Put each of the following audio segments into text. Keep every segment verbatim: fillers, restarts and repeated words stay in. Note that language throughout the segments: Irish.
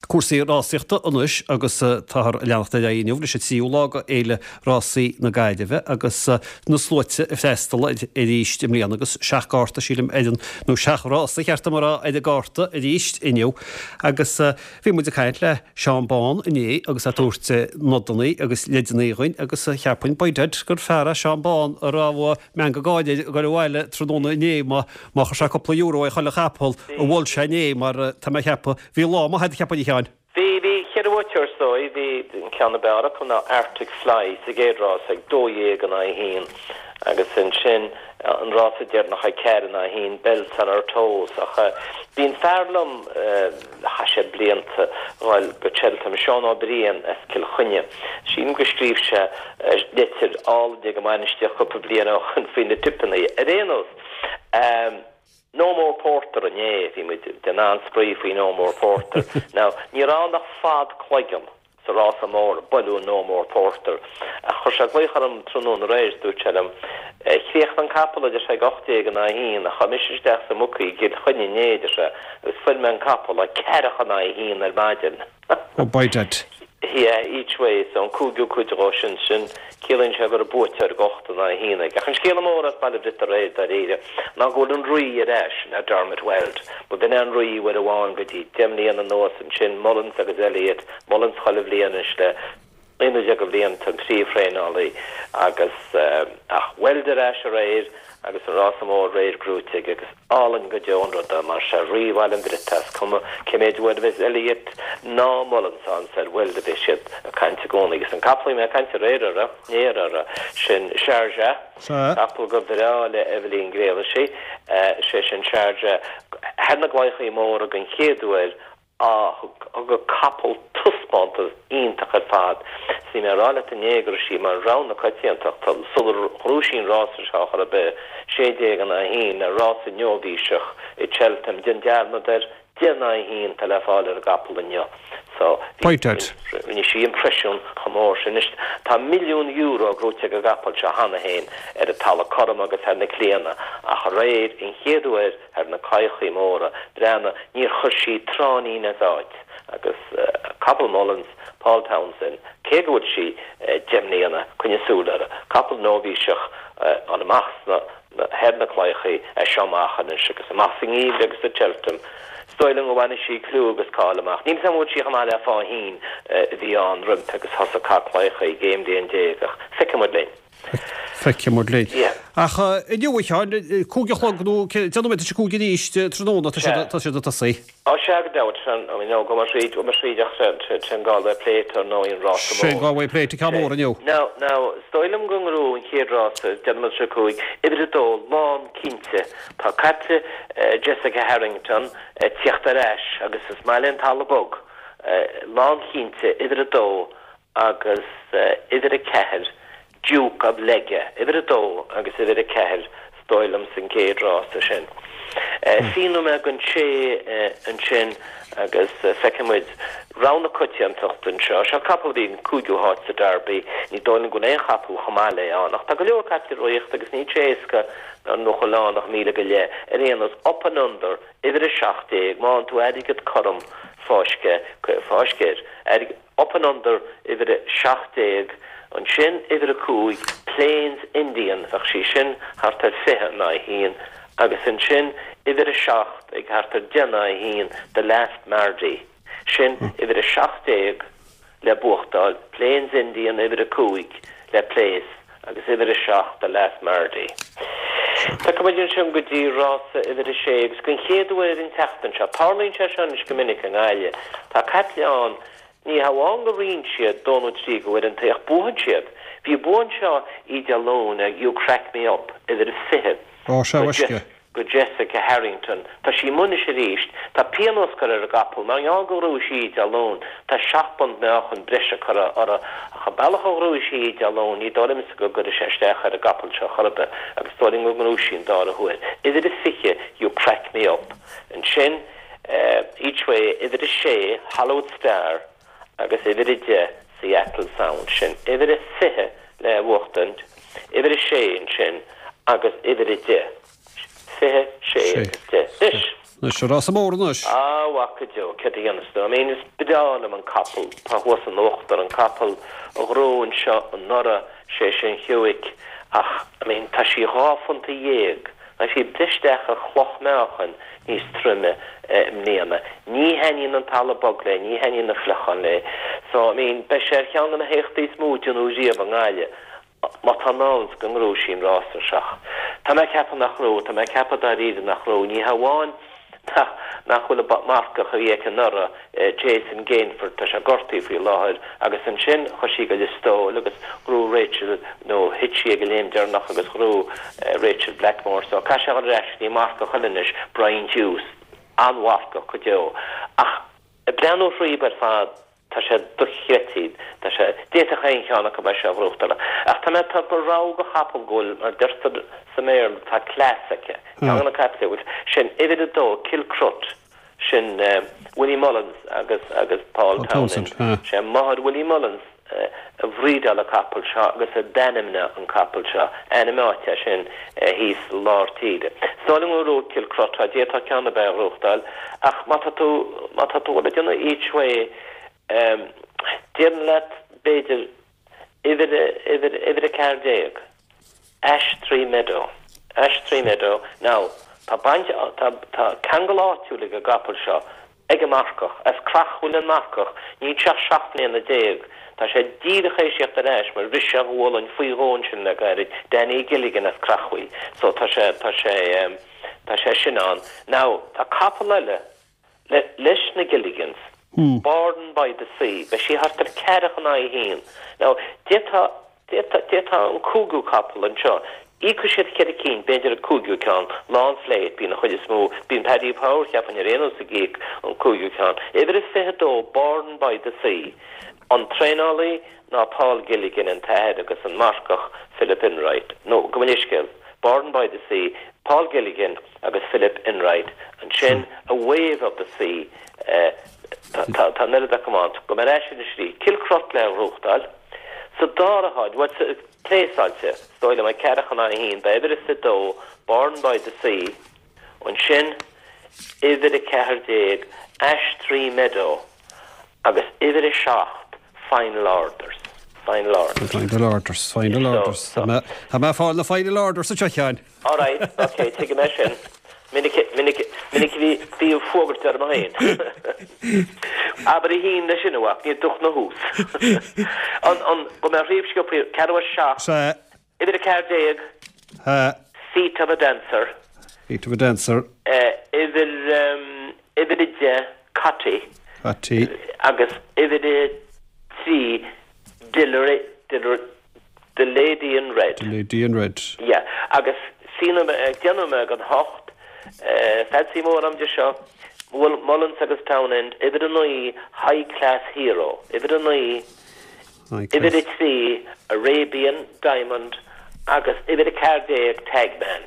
Cúrsaí rásaíochta anois agus táthar ag leanacht ar aghaidh inniu leis an tríú lá de Fhéile Rásaí na Gaillimhe agus na sluaite ag freastal arís i mbliana agus seacht gcárta sílim ar an nó seacht rása cheart dom a rá ar an gcárta arís inniu agus bhí muid ag caint le Seán Bán inné agus é ag tabhairt nodanna agus leideanna dhúinn agus cheapfainn by dad gur fear é Seán Bán a raibh meangadh gáire air ag dul abhaile tráthnóna inné má má chuir sé cúpla euro ar chuile chapall a mhol sé inné mar tá mé ag ceapadh bhí lá maith agat cheapfainn a Sheáin. Bhí bhí ceithre bhuaiteoir is dóigh, bhí an ceann ab fhearr acu ná Arctic Fly sa gcéad rás ag dó dhéag in aghaidh a haon agus ansin an rása deireanach ag ceathair in aghaidh a haon, Bells on Her Toes. Ach bíonn fear liom, chaith sé blianta dhul go Cheltenham, Seán Ó Briain as Cill Chainnigh. Sílim go scríobh sé litir álainn ag an mbainistíocht cúpla bliain ó shin faoi na tipeanna. Ar aon nós, No More Porter inné, bhí muid ag déanamh an-spraoi faoi No More Porter. Now, ní raibh ann ach fad cloigeann sa rása mór, buaileadh No More Porter. Ach chuir sé glaoch orm tráthnóna aréir is dúirt sé liom, Chríochnaigh an capall, a deir sé, ag ocht déag in aghaidh a haon, ach chuaigh mise isteach sa mbookie i gCill Chainnigh inné, a deir sé, agus fuair mé an capall ag ceathracha in aghaidh a haon ar maidin. Oh, by dad. Yeah, each way, so an cúigiú cuid dhó sin, sin, ciallaíonn sé go raibh buaiteoir ag ocht in aghaidh a haon aige. Ach an scéala mór as Baile Briotair aréir, dáiríre, ná go bhfuil an Rí ar ais, ná Dermot Weld. Ba b'in é an Rí uair amháin go dtí deich mbliana anuas, ansin Mullins agus Elliott, Mullins chuile bhliain anois le naoi nó deich de bhlianta, an príomhthraenálaí, agus, ach Weld ar ais aréir agus an rása mór aréir gnóite aige agus álainn go deo an rud é mar sé Rí Bhaile an Bhriotaigh is cuma cé méid uair a bheas Elliott ná Mullins ann is ar Weld a bheas siad ag caint i gcónaí agus an capall a bhí mé ag caint aréir orthu, inné orthu, sin Sharjah, capall go bhreá le Eibhlín Gréalaisí, sé sin Sharjah thar na gclaíochaí móra den chéad uair Thug an capall taispeántas iontach ar fad. 'S bhí mé ag rá leat inné go raibh sí mar rogha na coitiantachta sular ghnóthaigh sí an rása seo chor ar bith, sé déag in aghaidh a haon, ar rás nóibhíseach i Cheltenham. Déan dearmad air, deich in aghaidh a haon atá le fáil ar an gcapall inniu. So, bhí, rinne sí impreisiún chomh mór sin. Anois, tá milliún euro gnóite ag an gcapall seo cheana féin ar an talamh cothrom agus ar na claíonna ach aréir, an chéad uair, Ar na claíochaí móra, breathnaigh, níor chuir sí tráithnín as áit agus capall Mullins, Paul Townsend, cé go bhfuil sí deich mbliana, coinnigh súil uirthi, capall nóibhíseach an amach sna thar na claíochaí as seo amach anois agus amach sa ngeimhreadh agus i Cheltenham. Is dóigh liom go bhfanfaidh sí clú agus cáil amach. Níl 'fhios a'm an bhfuil sí chomh maith le Faugheen a bhí ann roimpi agus thosaigh ag cath claíochaí ag aon bhliain déag ach feicfidh muid linn. Feicfidh muid linn. Ach inniu, a Sheáin, cúig a chlog nó deich nóiméad tar éis a cúig arís tráthnóna, tá siad tá siad ag tosaí. Á sea, go deimhin, sin, I mean, go mbeidh tríd, go mbeidh tríd ach sin Galway Plate ar ndóigh an rása mór. Sin Galway Plate, an ceann mór inniu. Now, now, is dóigh liom go ngnóthóidh an chéad rása, deich nóiméad tar éis a cúig, uimhir a dó, lán cinnte. Tá caiple Jessica Harrington ag tíocht ar ais agus is maith léi an talamh bog. Lán cinnte, uimhir a dó, agus uimhir a ceathair, Duke of Legge, uimhir a dó agus uimhir a ceathair, is dóigh liom, san gcéad rása sin. Fiche nóiméad don sé ansin agus feicfidh muid rogha na coitiantachta anseo. Seo capall a bhí in cúigiú háit sa Derby. Ní dóigh liom go bhfuil aon chapall chomh maith léi ann ach tá go leor caiple ag rothaíocht agus níl sé éasca nuair nach bhfuil ann ach míle go leith. Ar aon nós, Up and Under, uimhir a seacht déag, má fhaigheann tú airgead cothrom, fáisc é, fáisc air. Airgead. Up and Under, uimhir a seacht déag, ansin uimhir a cúig, Plains Indian, bheadh sí sin thart ar fiche in aghaidh a haon, agus ansin uimhir a seacht ag thart ar deich in aghaidh a haon, The Last Mardy. Sin uimhir a seacht déag le buachtáil, Plains Indian, uimhir a cúig le place agus uimhir a seacht, The Last Mardy. Tiocfaidh muid ansin go dtí rása uimhir a sé agus den chéad uair an tseachtain seo, tarlaíonn sé seo anois go minic i nGaillimh, tá caiple ann, ní hamháin go ritheann siad dó nó trí de uaireanta ach buann siad. Bhí bua anseo oíche Dé Luain ag You Crack Me Up, uimhir a fiche. Ó, sea, uisce. go Jessica Harrington. Tá sí amuigh anois arís. Tá pionós curtha ar an gcapall mar gheall gur ghnóthaigh sí Dé Luain. Tá seacht bpunt meáchain breise curtha uirthi. Ach an bealach a ghnóthaigh sí Dé Luain, ní dóigh liomsa go gcuirfidh sé isteach ar an gcapall seo chor ar bith agus is dóigh liom go ngnóthóidh sí an dara huair. Uimhir a fiche, You Crack Me Up. Ansin, Each Way, uimhir a sé, Hollywood Star agus uimhir a deich, Seattle Sound. Sin uimhir a fiche le buachtaint, uimhir a sé ansin agus uimhir a deich. Fiche, sé agus deich. Anois! Anois, an rása mór anois. Á, a mhac go deo, céard a dhéanfas tú? I mean, is breá liom an capall, tá thuas in uachtar, an capall a ghnóthaigh anseo anuraidh, sé sin Hewick, ach, I mean, tá sí dhá phunta dhéag, tá sí breis isteach ar chloch meáchain níos troime i mbliana. Ní thaitníonn an talamh bog léi, ní thaitníonn na fliucháin léi. So, I mean, beidh sé ar cheann de na héachtaí is mó a déanadh riamh i nGaillimh. Má tá in ann go ngnóthóidh sí an rása seo. Tá mé ag ceapadh nach ngnóthóidh, tá mé ag ceapadh dáiríre nach ngnóthóidh, ní hamháin nach nach bhfuil an marcach a bhí aici anuraidh, Jason Gainford, tá sé gortaithe faoi láthair, agus ansin chuaigh sí go Lios Póil agus ghnóthaigh Rachel, nó thit sí ag an léim deireanach agus ghnóthaigh Rachel Blackmore, so caithfidh sé a dhul ar ais go dtí marcach eile anois, Brian Hughes, an-mharcach go deo. Ach ag breathnú thríob ar fad, Tá sé dochreidte. Tá sé, d'fhéadfadh aon cheann acu é seo a ghnóthachtáil. Ach tá mé ag tabhairt rogha do chapall go bhfuil, mar deirtear sa mBéarla, tá class aici. Ceann de na caiple a bhfuil, sin uimhir a dó, Kilcruit, sin Willie Mullins agus, agus Paul Townend. Sé máthair Willie Mullins a bhrídeáil an capall seo agus a d'ainmnigh an capall seo. Ainm áite é sin thíos i lár tíre. Is dóigh liom go ngnóthóidh Kilcruit, d'fhéadfadh ceann ar bith a ghnóthachtáil. Ach má tá tú, má tá tú ag déanamh each way, Déarfainn leat, b'fhéidir, uimhir, uimhir, uimhir a ceathair déag, Ash Tree Meadow, Ash Tree Meadow, now, tá baint, tá, tá ceangal áitiúil ag an gcapall seo, ag an marcach, as Creachmhaoil an marcach, níl sé ach seacht mbliana déag, tá sé díreach théis theacht ar ais mar bhris sé a ghualainn faoi dhó ansin le gairid, Danny Gilligan as Creachmhaoil, so tá sé, tá sé, tá sé sin ann. Now, tá capall eile, leis na Gilligans, Borden by the Sea, beidh sí thart ar ceathracha in aghaidh a haon. Now, d'fhéadfá, d'fhéadfá, d'fhéadfá an cúigiú capall anseo, íocfaidh siad ceithre cinn, b'fhéidir an cúigiú ceann, Lá an Phlé, bíonn an chuid is mó, bíonn Paddy Power, cheapfainn ar aon nós ag íoc an cúigiú ceann. Uimhir a fiche dó, Borden by the Sea, an traenálaí ná Paul Gilligan, an t-athair agus an marcach Philip Enright, nó gabh mo leithscéal, Borden by the Sea, Paul Gilligan agus Philip Enright, ansin A Wave of the Sea, tá an oiread acu ann, gabh mé ar ais anois arís, Kilcruit le gnóthachtáil, sa dara háit, bhuel, pléasáilte, is dóigh liom, ag ceathracha in aghaidh a haon, beidh uimhir a fiche dó, Borden by the Sea, ansin uimhir a ceathair déag, Ash Tree Meadow, agus uimhir a seacht, Final Orders. Final Orders. Final Orders, Final Orders. Tá mé ag fáil na Final Orders anseo, a Sheáin. All right, ok, tuigim é sin. Minic, minic, minic a bhí, bhí an fuagairt orm féin. Abair a haon leis sin, a mhac, ní dúch na thús. An, an, go mbeadh ríomh sciobtha, ceathrú a seacht. Sea. Uimhir a ceathair déag. Sea. Feet of a Dancer. Feet of a Dancer. Uimhir, uimhir a deich, Cotty. Cotty. Agus uimhir a trí, Dillery, Dillery, The Lady in Red. The Lady in Red. Yeah. Agus síneoidh mé, déanfaidh mé don hocht, feadsaí mór am de seo, Mullins agus Townend, uimhir a naoi, High Class Hero. Uimhir a naoi, uimhir a trí, Arabian Diamond agus uimhir a ceathair déag, Tagman.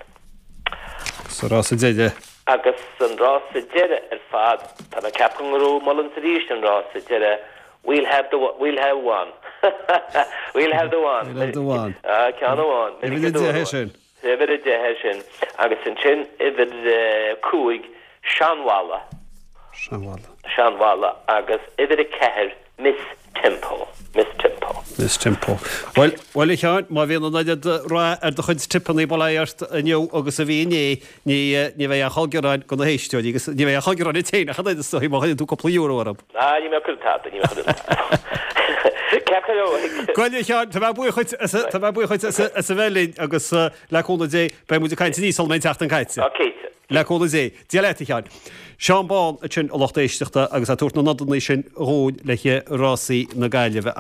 Sa rása deiridh. Agus an rása deiridh ar fad, tá mé ag ceapadh go ngnóthóidh Mullins arís an rása deiridh, We'll have the, we'll have one. We'll have the one. We'll have the one. Ah, ceann amháin. Uimhir a deich é sin. Uimhir a deich é sin. Agus ansin uimhir a cúig, Seanmhalla. Seanmhalla. Seanmhalla agus uimhir a ceathair, Miss Tempo. Miss Tempo. Miss Tempo. Bhuel, bhuel a Sheáin, má bhíonn an oiread rath ar do chuid tipeanna bail ó Dhia ort inniu agus a bhí inné, ní, ní bheidh aon chall gearáin go na héisteoirí agus ní bheidh aon chall gearáin ort féin ach an oiread is dóigh má chuireann tú cúpla euro orthu. Ah, ní mé cuir tada, ní mé cuir tada. Ceart go leor. Bhuel a Sheáin, tá mé buíoch dhuit as, tá mé buíoch dhuit as, as a bheith linn agus le cúnamh Dé beidh muid ag caint arís sula mbeidh an tseachtain caite. Ah, cinnte. Le cúnamh Dé. Dia leat, a Sheáin. Seán Bán ansin a lucht éisteachta agus é ag tabhairt na nodanna sin dhúinn le rásaí na Gaillimhe.